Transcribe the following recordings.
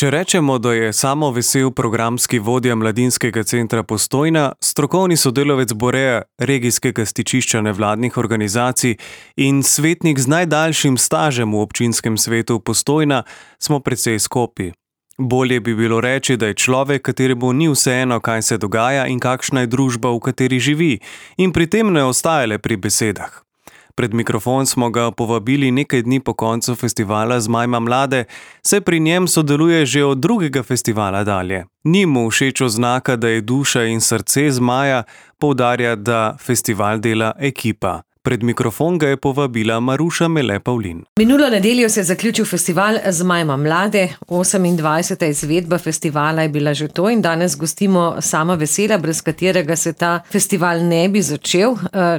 Če rečemo, da je Samo Vesel programski vodja Mladinskega centra Postojna, strokovni sodelavec Boreja regijskega stičišča nevladnih organizacij in svetnik z najdaljšim stažem v občinskem svetu Postojna, smo precej skopi. Bolje bi bilo reči, da je človek, kateremu ni vseeno, kaj se dogaja in kakšna je družba, v kateri živi, in pri tem ne ostaja le pri besedah. Pred mikrofon smo ga povabili nekaj dni po koncu festivala Zmajma mlade, saj pri njem sodeluje že od drugega festivala dalje. Ni mu všeč oznaka, da je duša in srce Zmaja, poudarja, da festival dela ekipa. Pred mikrofon ga je povabila Maruša Mele Pavlin. Minulo nedeljo se je zaključil festival Zmajma mlade, 28. izvedba festivala je bila že to in danes gostimo Sama Vesela, brez katerega se ta festival ne bi začel.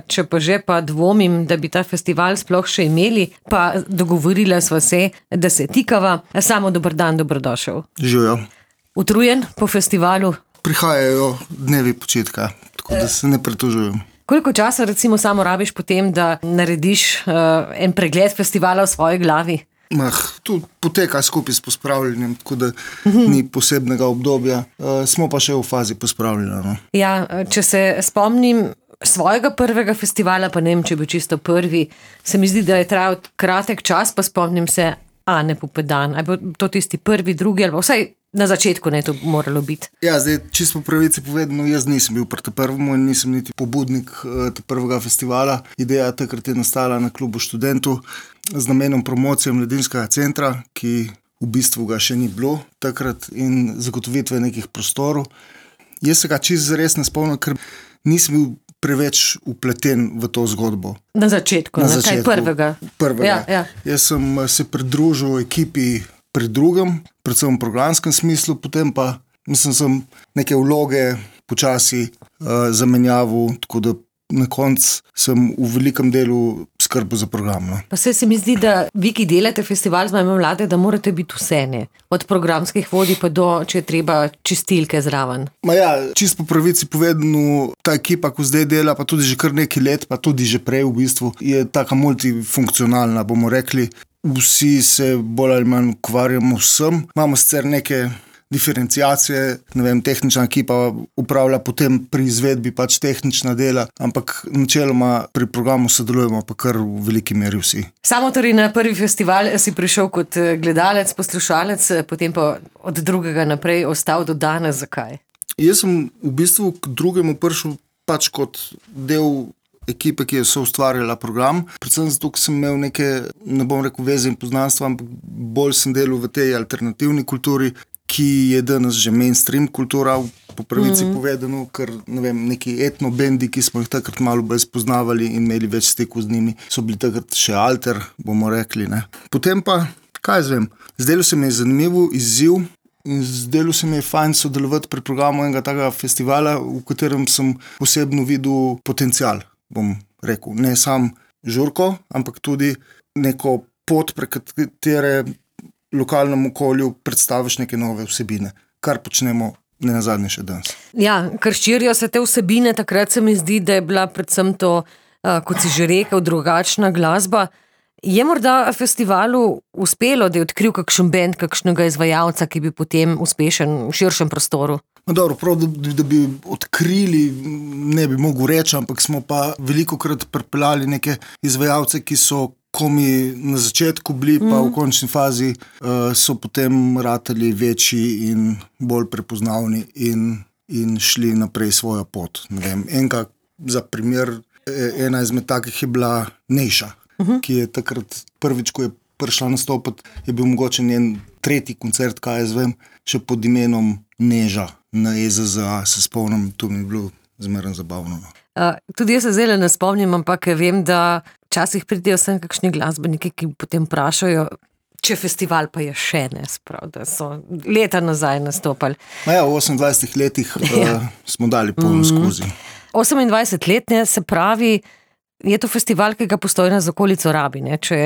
Če pa že pa dvomim, da bi ta festival sploh še imeli, pa dogovorila sva se, da se tikava. Samo dober dan, dobrodošel. Živijo. Utrujen po festivalu? Prihajajo dnevi počitka, tako da se ne pritožujem. Koliko časa recimo samo rabiš potem, da narediš en pregled festivala v svoji glavi? Tu poteka skupaj s pospravljanjem, tako da ni posebnega obdobja. Smo pa še v fazi pospravljanja. No. Ja, če se spomnim svojega prvega festivala, pa ne vem, če bi čisto prvi, se mi zdi, da je trajal kratek čas, pa spomnim se Ane Pupedan. Ali bo to tisti prvi, drugi, ali vsaj na začetku ne to moralo biti. Ja, zdaj, čisto po pravici povedano, jaz nisem bil pri prvemu in nisem niti pobudnik prvega festivala. Ideja takrat je nastala na klubu Študentu z namenom promocije Mladinskega centra, ki v bistvu ga še ni bilo takrat, in zagotovitve nekih prostorov. Jaz se ga čisto zares ne spomnim, ker nisem bil preveč upleten v to zgodbo. Na začetku, kaj prvega? Prvega. Ja. Jaz sem se pridružil ekipi pri drugem, predvsem v programskem smislu, potem pa sem neke vloge počasi zamenjaval, tako da na koncu sem v velikem delu skrbel za program. No. Pa se mi zdi, da vi, ki delate festival Zmajma mlade, da morate biti vse, ne? Od programskih vodij pa do, če je treba, čistilke zraven. Čisto po pravici povedano, ta ekipa, ko zdaj dela, pa tudi že kar nekaj let, pa tudi že prej v bistvu, je taka multifunkcionalna, bomo rekli. Vsi se bolj ali manj ukvarjamo vsem. Imamo sicer neke diferenciacije, ne vem, tehnična ekipa upravlja potem pri izvedbi pač tehnična dela, ampak načeloma pri programu sodelujemo pa kar v veliki meri vsi. Samo torej na prvi festival si prišel kot gledalec, poslušalec, potem pa od drugega naprej ostal do danes. Zakaj? Jaz sem v bistvu k drugemu prišel pač kot del ekipe, ki je soustvarjala program. Predvsem zato, ker sem imel neke, ne bom rekel veze in poznanstva, ampak bolj sem delal v tej alternativni kulturi, ki je danes že mainstream kultura, po pravici povedano, ker ne vem, neki etnobendi, ki smo jih takrat malo bolj spoznavali in imeli več stikov z njimi, so bili takrat še alter, bomo rekli. Ne. Potem pa, kaj zvem, zdelo se mi je zanimivo izziv in zdelo se mi je fajn sodelovati pri programu enega takega festivala, v katerem sem posebno videl potencial. Bom rekel, ne sam žurko, ampak tudi neko pot, prek katere lokalnemu okolju predstaviš neke nove vsebine, kar počnemo ne nazadnje še danes. Ja, ker širijo se te vsebine, takrat se mi zdi, da je bila predvsem to, kot si že rekel, drugačna glasba. Je morda festivalu uspelo, da je odkril kakšen bend, kakšnega izvajalca, ki bi potem uspešen v širšem prostoru? Dobro, prav, da bi odkrili, ne bi mogel reči, ampak smo pa velikokrat pripeljali neke izvajalce, ki so komi na začetku bili, pa v končni fazi so potem ratali večji in bolj prepoznavni in šli naprej svojo pot. Ne vem, za primer, ena izmed takih je bila Nejša, ki je takrat prvič, ko je prišla nastopati, je bil mogoče njen tretji koncert, kaj jaz vem, še pod imenom Neža na EZZA, se spomnim, to mi je bilo zmeraj zabavno. Tudi jaz se zdaj ne spomnim, ampak vem, da včasih pridejo sem kakšni glasbeniki, ki potem vprašajo, če festival pa je še ne, sprav, da so leta nazaj nastopali. V 28 letih smo dali polno skozi. 28 let, ne, se pravi, je to festival, ki ga Postojna z okolico rabi, ne? Če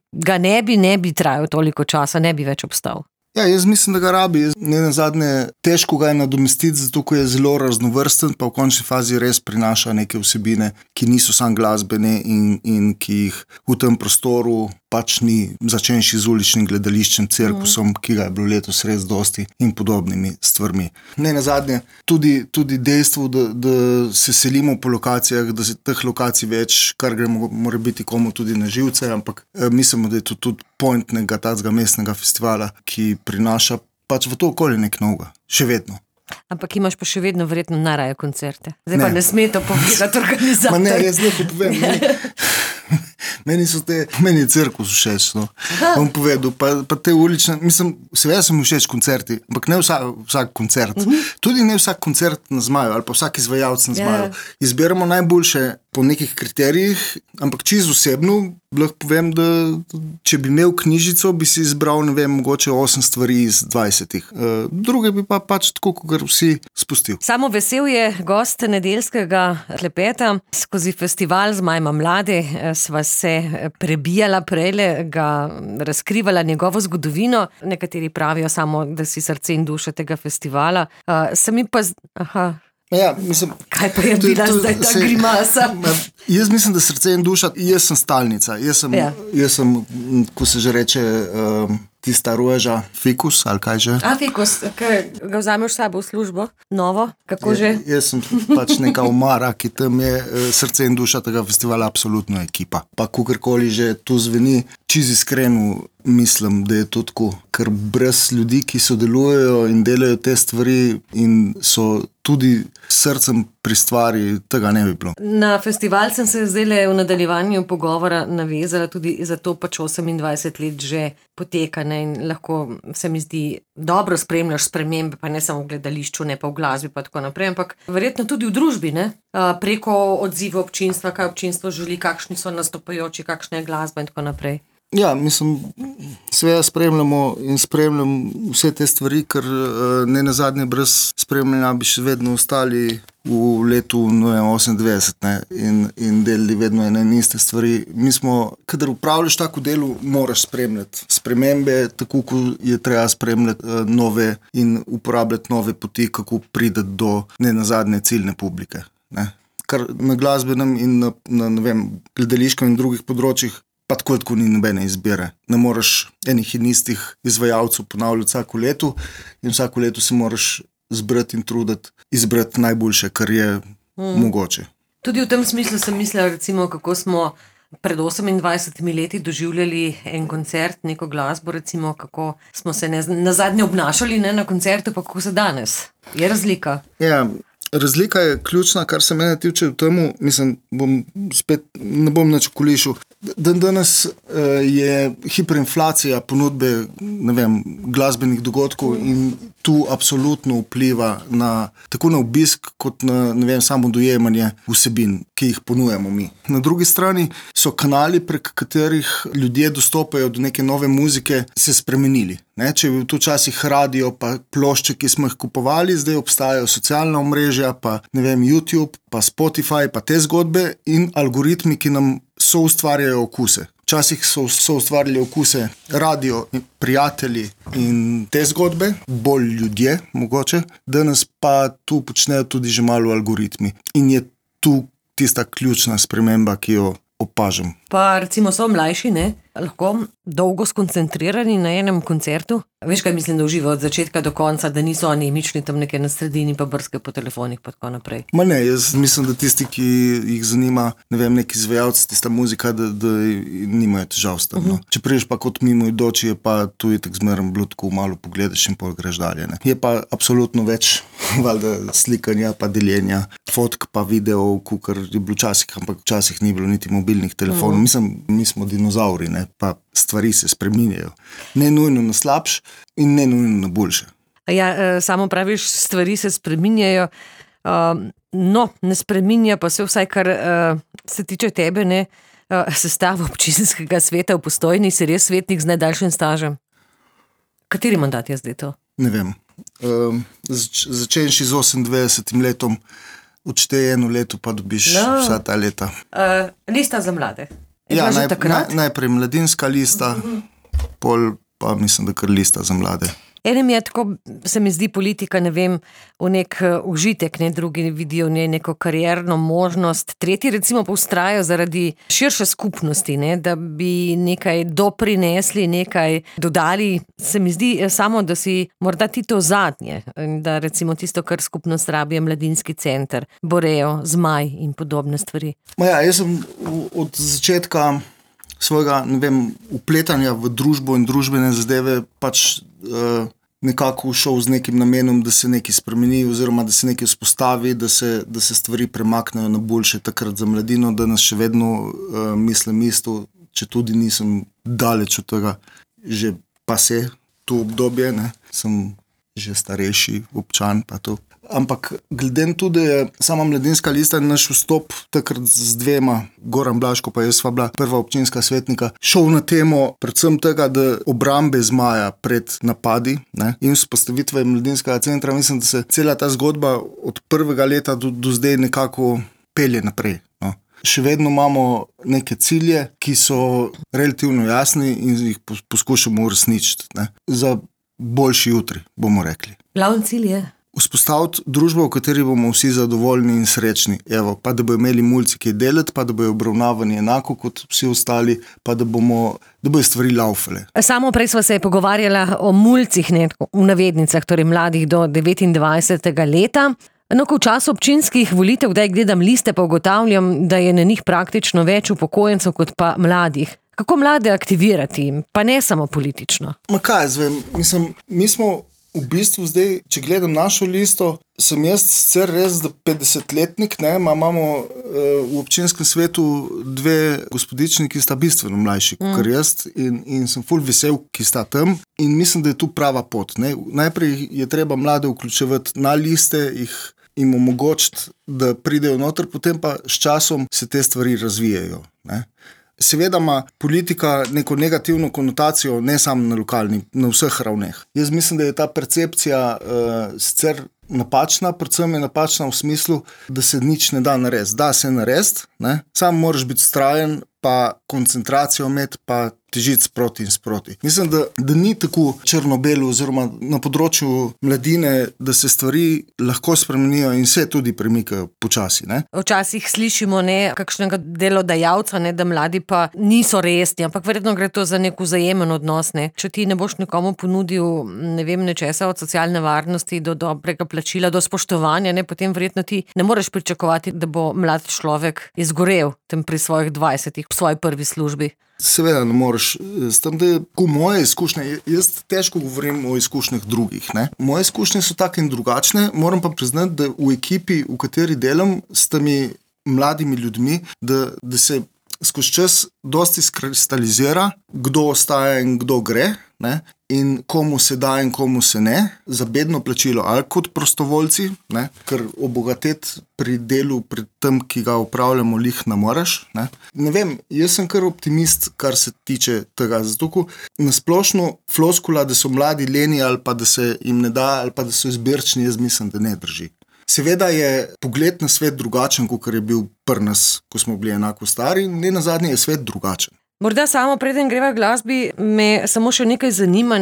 ga ne bi trajal toliko časa, ne bi več obstal. Ja, jaz mislim, da ga rabi. Ne nazadnje, težko ga je nadomestiti, zato ker je zelo raznovrsten, pa v končni fazi res prinaša neke vsebine, ki niso samo glasbene in ki jih v tem prostoru pač ni, začenši z uličnim gledališčem, cirkusom, ki ga je bilo letos res dosti in podobnimi stvarmi. Ne nazadnje, tudi dejstvo, da se selimo po lokacijah, da se teh lokacij več, kar gre mora biti komu tudi na živce, ampak mislimo, da je to tudi point nekega tacega mestnega festivala, ki prinaša pač v to okolje nek novega, še vedno. Ampak imaš pa še vedno verjetno najraje koncerte. Zdaj pa ne sme to povedati organizator. Ma ne, jaz nekaj povem. Meni je cirkus všeč, no. Bom povedal, pa te ulične, mislim, seveda sem všeč koncerti, ampak ne vsak koncert. Tudi ne vsak koncert na Zmaju, ali pa vsak izvajalec na Zmaju. Izberemo najboljše po nekih kriterijih, ampak čisto osebno lahko povem, da če bi imel knjižico, bi si izbral, ne vem, mogoče 8 stvari iz 20. Druge bi pa pač tako, kot vsi spustil. Samo Vesel je gost nedeljskega klepeta. Skozi festival Zmaj ima mlade sva se prebijala prejle, ga razkrivala njegovo zgodovino. Nekateri pravijo samo, da si srce in duša tega festivala. Sami pa... Ja, mislim, kaj pa je bila zdaj ta grimasa? Jaz mislim, da srce in duša, jaz sem stalnica. Jaz sem, ko se že reče, tista roža, fikus, ali kaj že? Fikus, ga vzameš sabo v službo, novo, kako že? Jaz sem pač neka omara, ki tam je srce in duša tega festivala absolutno ekipa. Pa kakorkoli že tu zveni, čisto iskreno mislim, da je to tako, ker brez ljudi, ki sodelujejo in delajo te stvari in so tudi srcem pri stvari, tega ne bi bilo. Na festival sem se zdaj v nadaljevanju pogovora navezala tudi zato pač 28 let že poteka, ne, in lahko se mi zdi dobro spremljaš spremembe, pa ne samo v gledališču, ne pa v glasbi pa tako naprej, ampak verjetno tudi v družbi, ne? Preko odziva občinstva, kaj občinstvo želi, kakšni so nastopajoči, kakšna je glasba in tako naprej. Ja, mislim, seveda spremljamo in spremljam vse te stvari, ker ne nazadnje brez spremljanja bi še vedno ostali v letu 98, ne, in delali vedno ene in iste stvari. Mi smo, kadar upravljaš tako delo, moraš spremljati spremembe, tako ko je treba spremljati nove in uporabljati nove poti, kako prideti do ne nazadnje ciljne publike, ne. Kar na glasbenem in na ne vem, gledališkem in drugih področjih pa tako ni nobene izbire. Ne moreš enih in istih izvajalcev ponavljati vsako leto in vsako leto se moraš zbrati in truditi, izbrati najboljše, kar je mogoče. Tudi v tem smislu sem mislila, recimo, kako smo pred 28 leti doživljali en koncert, neko glasbo, recimo, kako smo se nazadnje obnašali, ne, na koncertu, pa kako se danes. Je razlika? Ja, razlika je ključna, kar se mene tiče v temu, mislim, ne bom nič okolišil. Danes je hiperinflacija ponudbe, ne vem, glasbenih dogodkov in tu absolutno vpliva tako na obisk, kot na, ne vem, samo dojemanje vsebin, ki jih ponujemo mi. Na drugi strani so kanali, prek katerih ljudje dostopajo do neke nove muzike, se spremenili. Ne? Če je bil tu včasih radio, pa plošče, ki smo jih kupovali, zdaj obstajajo socialna omrežja, pa ne vem, YouTube, pa Spotify, pa te zgodbe in algoritmi, ki nam soustvarjajo okuse. Včasih so ustvarjali okuse radio, prijatelji in te zgodbe, bolj ljudje mogoče, danes pa tu počnejo tudi že malo algoritmi. In je tu tista ključna sprememba, ki jo opažam. Pa recimo so mlajši, ne? Lahko dolgo skoncentrirani na enem koncertu. Veš, kaj mislim, da uživajo od začetka do konca, da niso anemični tam nekaj na sredini, pa brske po telefonih, pa tako naprej. Ma ne, jaz mislim, da tisti, ki jih zanima, ne vem, neki izvajalci, tista muzika, da nimajo težav s tem. No. Če priješ pa kot mimoidoči, je pa tu je tak zmerno bilo tako malo pogledaš in pol greš dalje. Ne. Je pa absolutno več valjda slikanja, pa deljenja, fotk pa videov, kar je bilo včasih, ampak včasih ni bilo niti mobilnih telefonov. Mislim, mi smo dinozauri, ne, pa stvari se spreminjajo. Ne nujno na slabš in ne nujno na boljše. Ja, samo praviš, stvari se spreminjajo, no, ne spreminja pa se vsaj, kar se tiče tebe, ne, sestava občinskega sveta v Postojni, si res svetnik z najdaljšim stažem. Kateri mandat je zdaj to? Ne vem. Začenši z 28 letom, odšteje 1 leto, pa dobiš vsa ta leta. Lista za mlade. Ja, najprej mladinska lista, pol pa mislim, da kar lista za mlade. Enem je tako, se mi zdi politika, ne vem, v nek užitek, ne, drugi vidijo v njej neko karierno možnost, tretji recimo pa vztrajajo zaradi širše skupnosti, ne, da bi nekaj doprinesli, nekaj dodali. Se mi zdi samo, da si morda ti to zadnje, da recimo tisto, kar skupnost rabi, je mladinski center, Boreo, Zmaj in podobne stvari. Jaz sem od začetka svojega, upletanja v družbo in družbene zadeve nekako šel z nekim namenom, da se nekaj spremeni oziroma da se nekaj vzpostavi, da se stvari premaknejo na boljše takrat za mladino, da nas še vedno mislim isto, če tudi nisem daleč od tega, že pa se to obdobje, ne, sem že starejši občan pa to. Ampak glede na to, da je sama Mladinska lista naš vstop takrat z dvema, Goran Blaško pa jaz sva bila prva občinska svetnika, šel na temo predvsem tega, da obrambe Zmaja pred napadi, ne, in vzpostavitve Mladinskega centra. Mislim, da se cela ta zgodba od prvega leta do zdaj nekako pelje naprej. No. Še vedno imamo neke cilje, ki so relativno jasni in jih poskušamo uresničiti, ne, za boljši jutri, bomo rekli. Glavni cilj je vzpostaviti družbo, v kateri bomo vsi zadovoljni in srečni. Evo, pa da bojo imeli mulci kaj delati, pa da bojo obravnavani enako kot vsi ostali, pa da bojo stvari laufale. Samo prej sva se pogovarjala o mulcih, ne, v navednicah, torej mladih do 29. leta. No, ko v času občinskih volitev, kdaj gledam liste, pa ugotavljam, da je na njih praktično več upokojencev kot pa mladih. Kako mlade aktivirati, pa ne samo politično? Mi smo v bistvu zdaj, če gledam našo listo, sem jaz sicer res 50-letnik, ne, imamo v občinskem svetu dve gospodični, ki sta bistveno mlajši kot jaz in sem ful vesel, ki sta tam in mislim, da je tu prava pot. Ne. Najprej je treba mlade vključevati na liste, jim omogočiti, da pridejo noter, potem pa s časom se te stvari razvijajo. Ne. Seveda ima politika neko negativno konotacijo, ne samo na lokalni, na vseh ravneh. Jaz mislim, da je ta percepcija sicer napačna, predvsem je napačna v smislu, da se nič ne da narediti. Da se narediti, samo moraš biti vztrajen, pa koncentracijo imeti, pa težiti sproti in sproti. Mislim, da ni tako črno-belo oziroma na področju mladine, da se stvari lahko spremenijo in se tudi premikajo počasi. Ne? Včasih slišimo kakšnega delodajalca, da mladi pa niso resni, ampak verjetno gre to za nek vzajemen odnos. Ne? Če ti ne boš nekomu ponudil nečesa od socialne varnosti do dobrega plačila, do spoštovanja, potem verjetno ti ne moreš pričakovati, da bo mlad človek izgorel tem pri svojih 20 v svoji prvi službi. Seveda ne moreš. S tem, da je moje izkušnje, jaz težko govorim o izkušnjah drugih. Ne? Moje izkušnje so take in drugačne, moram pa priznati, da v ekipi, v kateri delam s temi mladimi ljudmi, da se skozi čas dosti skristalizira, kdo ostaja in kdo gre, ne? In komu se da in komu se ne, za bedno plačilo ali kot prostovoljci, ne? Ker obogateti pri delu, pri tem, ki ga upravljamo, lih ne moreš. Ne vem, jaz sem kar optimist, kar se tiče tega, zato ko nasplošno floskula, da so mladi leni ali pa da se jim ne da ali pa da so izbirčni, jaz mislim, da ne drži. Seveda je pogled na svet drugačen, kot je bil pri nas, ko smo bili enako stari, in ne nazadnje je svet drugačen. Morda samo preden greva glasbi, me samo še nekaj zanima,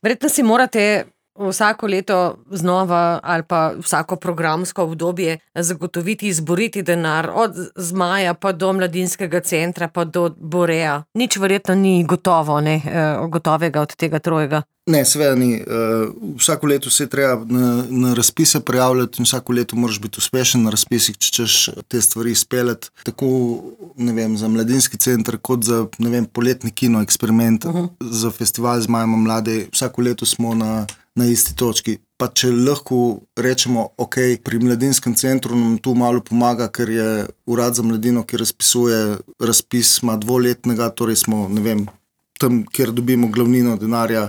Verjetno si morate vsako leto znova ali pa vsako programsko obdobje zagotoviti, izboriti denar od Zmaja pa do Mladinskega centra pa do Borea. Nič verjetno ni gotovega od tega trojega. Ne, seveda ni. Vsako leto se je treba na razpise prijavljati in vsako leto moraš biti uspešen na razpisih, če češ te stvari izpeljati. Tako, za Mladinski center, kot za, poletni kino eksperiment, za festival Zmajma mlade. Vsako leto smo na isti točki. Pa če lahko rečemo, pri Mladinskem centru nam tu malo pomaga, ker je Urad za mladino, ki razpisuje razpis, ima 2-letnega, torej smo, tam, kjer dobimo glavnino denarja,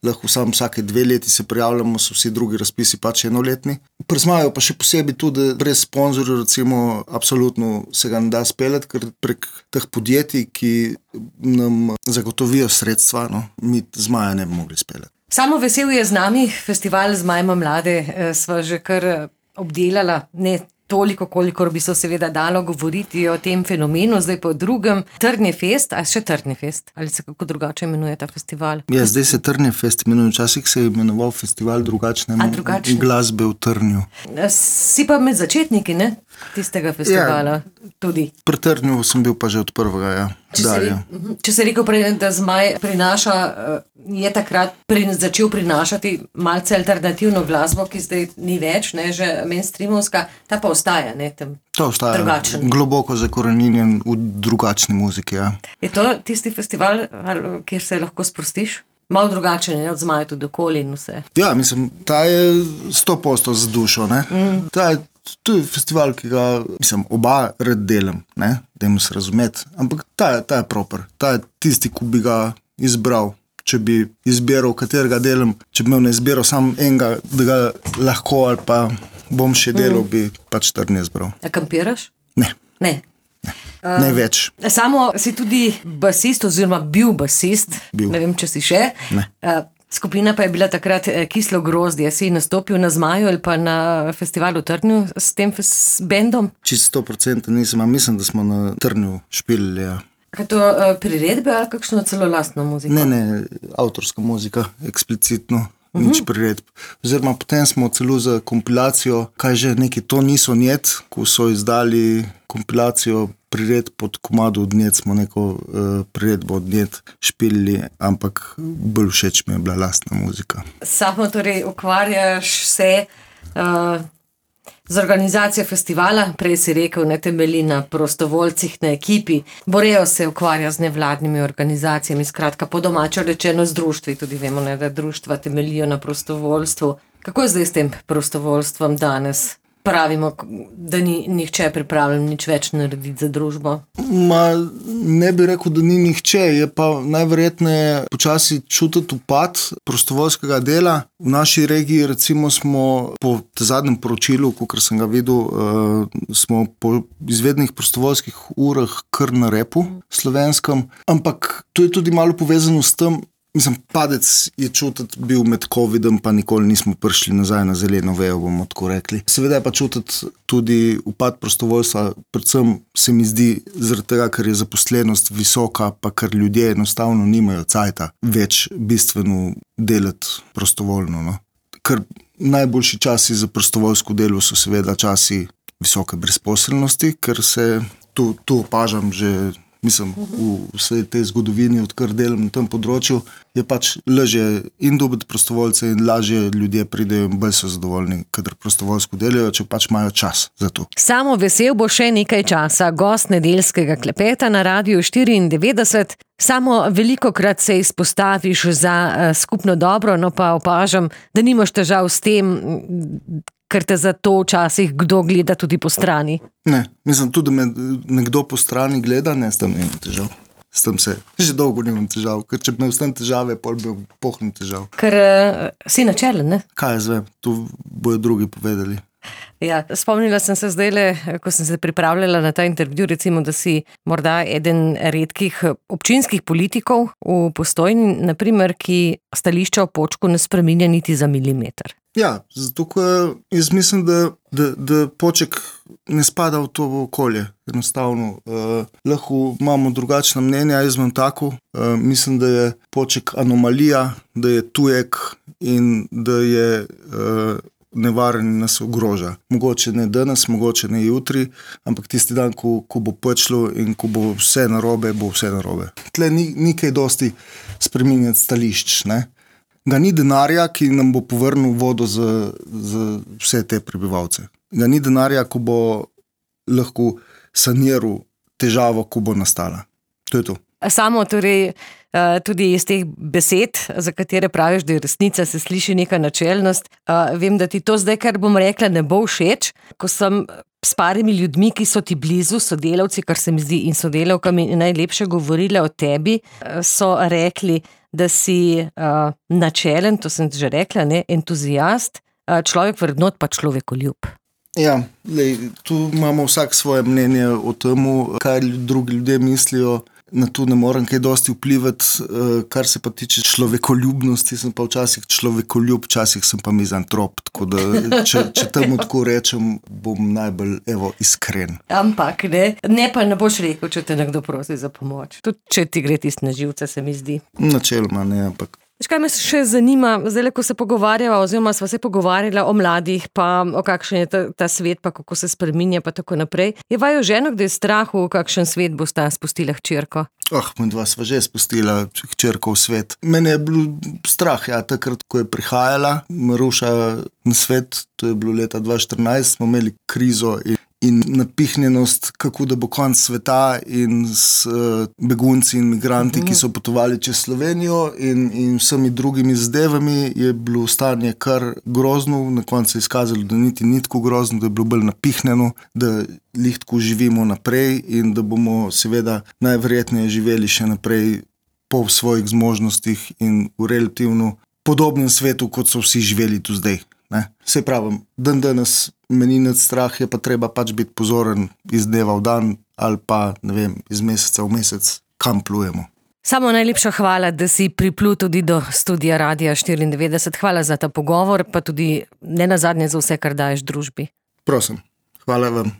lahko samo vsake 2 leti se prijavljamo, so vsi drugi razpisi pač 1-letni. Pri Zmaju pa še posebej tudi, brez sponzorjev recimo, absolutno se ga ne da speljati, ker prek teh podjetij, ki nam zagotovijo sredstva, mi Zmaja ne bi mogli speljati. Samo vesel je z nami, festival Zmajma mlade sva že kar obdelala, ne toliko, kolikor bi se seveda dalo govoriti o tem fenomenu, zdaj pa o drugem. Trnjefest, a še Trnjefest? Ali se kako drugače imenuje ta festival? Ja, zdaj se Trnjefest imenuje, včasih se je imenoval festival drugačne glasbe v Trnju. Si pa med začetniki, ne? Tistega festivala tudi. Pri Trnju sem bil pa že od prvega, ja. Če se rekel prej, da Zmaj prinaša, je takrat začel prinašati malce alternativno glasbo, ki zdaj ni več, ne, že mainstreamovska, ta pa ostaja, ne, tam drugačen. Globoko zakoreninjen v drugačni muziki, ja. Je to tisti festival, kjer se lahko sprostiš? Malo drugačen je od Zmaja tudi okolje in vse. Ja, mislim, ta je 100% z dušo, ne. To je festival, ki ga, mislim, oba red delam, ne, dajmo se razumeti, ampak ta je proper, ta je tisti, ki bi ga izbral, če bi izbiral, katerega delam, če bi imel na izbiro sam enega, da ga lahko ali pa bom še delal, bi pač Trnje izbral. A kampiraš? Ne. Ne več. Samo si tudi basist oziroma bil basist, ne vem, če si še. Ne. Skupina pa je bila takrat Kislo grozdje. Si nastopil na Zmaju ali pa na festivalu Trnju s tem bendom? Čisto 100% nisem, a mislim, da smo na Trnju špilili, ja. Kaj to priredbe ali kakšno celo lastno muziko? Ne, avtorska muzika, eksplicitno. Nič priredb. Oziroma potem smo celo za kompilacijo, kaj že neki to niso njet, ko so izdali kompilacijo priredb pod komado od njet, smo neko priredbo od njet špilili, ampak bolj všeč mi je bila lastna muzika. Samo torej ukvarjaš se z organizacijo festivala, prej si rekel, ne temelji na prostovoljcih, na ekipi. Boreo se ukvarja z nevladnimi organizacijami, skratka po domačo rečeno z društvi, tudi vemo, ne, da društva temeljijo na prostovoljstvu. Kako je zdaj s tem prostovoljstvom danes? Pravimo, da ni nihče pripravljen nič več narediti za družbo. Ne bi rekel, da ni nihče, je pa najverjetneje počasi čutiti upad prostovoljskega dela. V naši regiji recimo smo po zadnjem poročilu, kakor sem ga videl, smo po izvednih prostovoljskih urah kar na repu slovenskem, ampak to je tudi malo povezano s tem, mislim, padec je čutiti bil med covidom, pa nikoli nismo prišli nazaj na zeleno vejo, bomo tako rekli. Seveda je pa čutiti tudi upad prostovoljstva, predvsem se mi zdi zaradi tega, ker je zaposlenost visoka, pa ker ljudje enostavno nimajo cajta več bistveno delati prostovoljno, no. Ker najboljši časi za prostovoljsko delo so seveda časi visoke brezposelnosti, ker se tu opažam že, mislim, v vsej tej zgodovini, odkar delam na tem področju, je pač lažje in dobiti prostovoljce in lažje ljudje pridejo in bolj so zadovoljni, kadar prostovoljsko delajo, če pač imajo čas za to. Samo Vesel bo še nekaj časa gost nedeljskega klepeta na Radiu 94. Samo velikokrat se izpostaviš za skupno dobro, no pa opažam, da nimaš težav s tem, ker te za to včasih kdo gleda tudi po strani. Ne, mislim tudi, da me nekdo po strani gleda, ne, s tem nimam težav. S tem se že dolgo nimam težav, ker če bi imel s tem težave, pol bi pohnem težav. Ker si načelen, ne? Kaj jaz vem, to bojo drugi povedali. Ja, spomnila sem se zdajle, ko sem se pripravljala na ta intervju, recimo, da si morda eden redkih občinskih politikov v Postojni, naprimer, ki stališča o Počku ne spreminja niti za milimeter. Ja, zato jaz mislim, da Poček ne spada v to okolje, enostavno. Lahko imamo drugačna mnenja, jaz imam tako. Mislim, da je Poček anomalija, da je tujek in da je nevaren in nas ogroža. Mogoče ne danes, mogoče ne jutri, ampak tisti dan, ko bo počlo in ko bo vse narobe, bo vse narobe. Tle ni kaj dosti spreminjati stališč, ne. Ga ni denarja, ki nam bo povrnil vodo za vse te prebivalce. Ga ni denarja, ko bo lahko saniral težavo, ko bo nastala. To je to. Samo torej tudi iz teh besed, za katere praviš, da je resnica, se sliši neka načelnost. Vem, da ti to zdaj, kar bom rekla, ne bo všeč. Ko sem s parimi ljudmi, ki so ti blizu, sodelavci, kar se mi zdi, in sodelavkami najlepše govorile o tebi, so rekli, da si načelen, to sem že rekla, ne, entuzijast, človek vrednot pa človekoljub. Ja, tu imamo vsak svoje mnenje o tem, kaj drugi ljudje mislijo. na to ne morem kaj dosti vplivati, kar se pa tiče človekoljubnosti, sem pa včasih človekoljub, včasih sem pa mizantrop, tako da če temu tako rečem, bom najbolj iskren. Ampak ne pa ne boš rekel, če te nekdo prosi za pomoč. Tudi če ti gre tisto na živce, se mi zdi. Načeloma ne, ampak. Kaj me še zanima, zdaj, ko se pogovarjava, oziroma sva se pogovarjala o mladih, pa o kakšen je ta svet, pa kako se spreminja, pa tako naprej. Je vaju ženo, da je strahu, kakšen svet bosta spustila hčerko? Midva sva že spustila hčerko v svet. Mene je bilo strah, takrat, ko je prihajala Maruša na svet, to je bilo leta 2014, smo imeli krizo in napihnjenost, kako da bo konc sveta in s begunci in migranti, ki so potovali čez Slovenijo in vsemi drugimi zadevami, je bilo stanje kar grozno, na koncu je izkazalo, da niti ni tako grozno, da je bilo bolj napihnjeno, da lihtko živimo naprej in da bomo seveda najverjetneje živeli še naprej po svojih zmožnostih in v relativno podobnem svetu, kot so vsi živeli tu zdaj. Saj pravim, danes meni nad strah, je pa treba biti pozoren iz dneva v dan ali pa, ne vem, iz meseca v mesec, kam plujemo. Samo najlepša hvala, da si priplul tudi do studia Radia 94. Hvala za ta pogovor, pa tudi nenazadnje za vse, kar daješ družbi. Prosim, hvala vam.